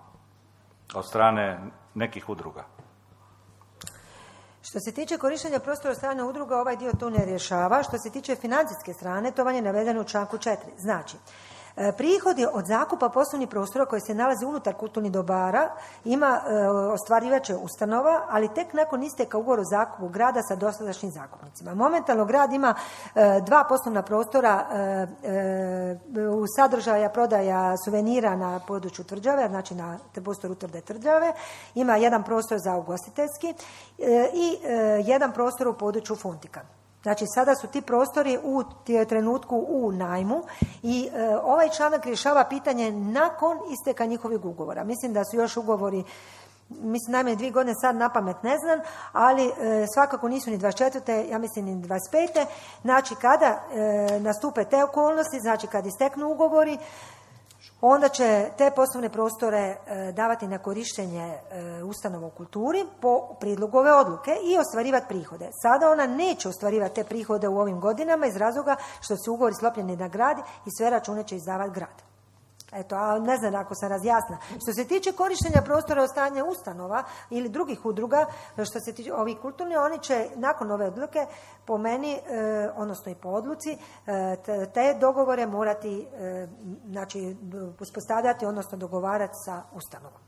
od strane nekih udruga? Što se tiče korištenja prostora od strane udruga, ovaj dio tu ne rješava. Što se tiče financijske strane, to vam je navedeno u članku 4. Znači, prihodi od zakupa poslovnih prostora koji se nalaze unutar kulturnih dobara ostvarivat će ustanova, ali tek nakon isteka ugovora o zakupu grada sa dosadašnjim zakupnicima. Momentalno grad ima 2 poslovna prostora u sadržaja prodaja suvenira na području Tvrđave, znači na prostoru Utvrde Tvrđave, ima 1 prostor za ugostiteljski i 1 prostor u području Funtika. Znači, sada su ti prostori u trenutku u najmu i ovaj članak rješava pitanje nakon isteka njihovih ugovora. Mislim da su još ugovori, najmanje 2 godine, sad napamet ne znam, ali svakako nisu ni 24. ja mislim ni 25. Znači, kada nastupe te okolnosti, znači kad isteknu ugovori, onda će te poslovne prostore davati na korištenje ustanova u kulturi po prijedlogu ove odluke i ostvarivati prihode. Sada ona neće ostvarivati te prihode u ovim godinama iz razloga što su ugovori sklopljeni na grad i sve račune će izdavati grad. Eto, a ne znam ako sam razjasna. Što se tiče korištenja prostora od strane ustanova ili drugih udruga, što se tiče ovih kulturnih, oni će nakon ove odluke po meni, odnosno i po odluci, te dogovore morati znači, uspostavljati, odnosno dogovarati sa ustanovom.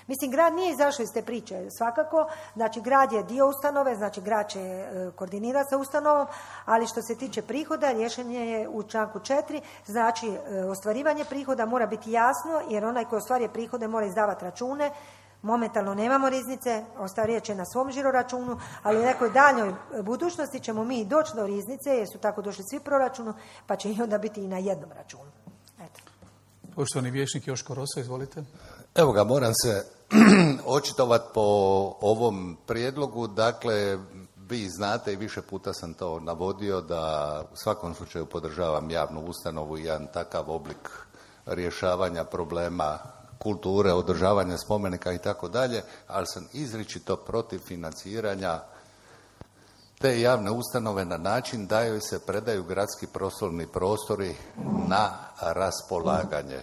Mislim, grad nije izašao iz te priče, svakako, znači grad je dio ustanove, znači grad će koordinirati sa ustanovom, ali što se tiče prihoda, rješenje je u članku 4, znači ostvarivanje prihoda mora biti jasno, jer onaj koji ostvaruje prihode mora izdavati račune. Momentalno nemamo riznice, ostvaruje će na svom žiroračunu, ali u nekoj daljnjoj budućnosti ćemo mi doći do riznice, jer su tako došli svi proračunu, pa će i onda biti i na jednom računu. Eto. Poštovani vijećnik Joško Rosa, izvolite. Evo ga, moram se očitovati po ovom prijedlogu. Dakle, vi znate i više puta sam to navodio da u svakom slučaju podržavam javnu ustanovu i jedan takav oblik rješavanja problema kulture, održavanja spomenika i tako dalje, ali sam izričito protiv financiranja te javne ustanove na način da joj se predaju gradski poslovni prostori na raspolaganje.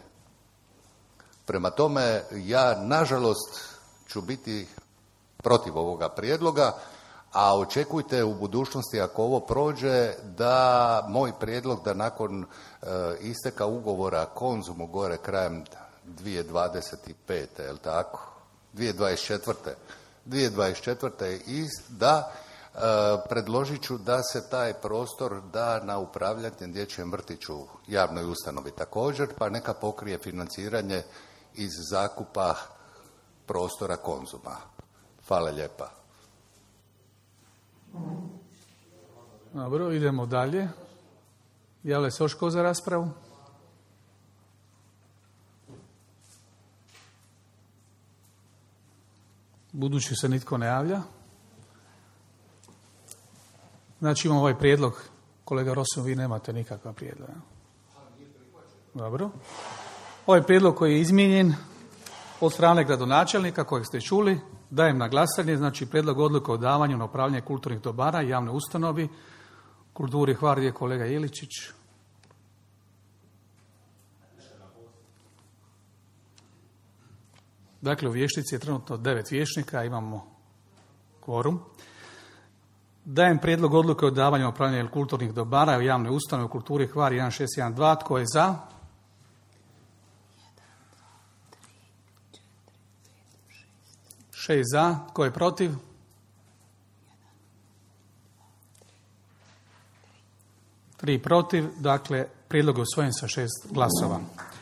Prema tome, ja nažalost ću biti protiv ovoga prijedloga, a očekujte u budućnosti, ako ovo prođe, da moj prijedlog da nakon isteka ugovora Konzumu gore krajem 2025. jel tako? 2024. Da predložit ću da se taj prostor da na upravljanje dječjem vrtiću javnoj ustanovi također, pa neka pokrije financiranje iz zakupa prostora Konzuma. Hvala lijepa. Dobro, idemo dalje. Javlja se još tko za raspravu? Budući se nitko ne javlja. Znači imamo ovaj prijedlog. Kolega Rosom, vi nemate nikakav prijedlog. Dobro. Ovaj prijedlog koji je izmijenjen od strane gradonačelnika kojeg ste čuli, dajem na glasanje, znači prijedlog odluke o davanju na upravljanje kulturnih dobara javnoj ustanovi kulturi Hvar, je kolega Jeličić. Dakle, u Vještici je trenutno 9 vijećnika, imamo kvorum. Dajem prijedlog odluke o davanju na upravljanje kulturnih dobara u javnoj ustanovi u kulturi Hvar 1612. Tko je za? 6 za. Tko je protiv? 3 protiv. Dakle, prijedlog je usvojen sa 6 glasova.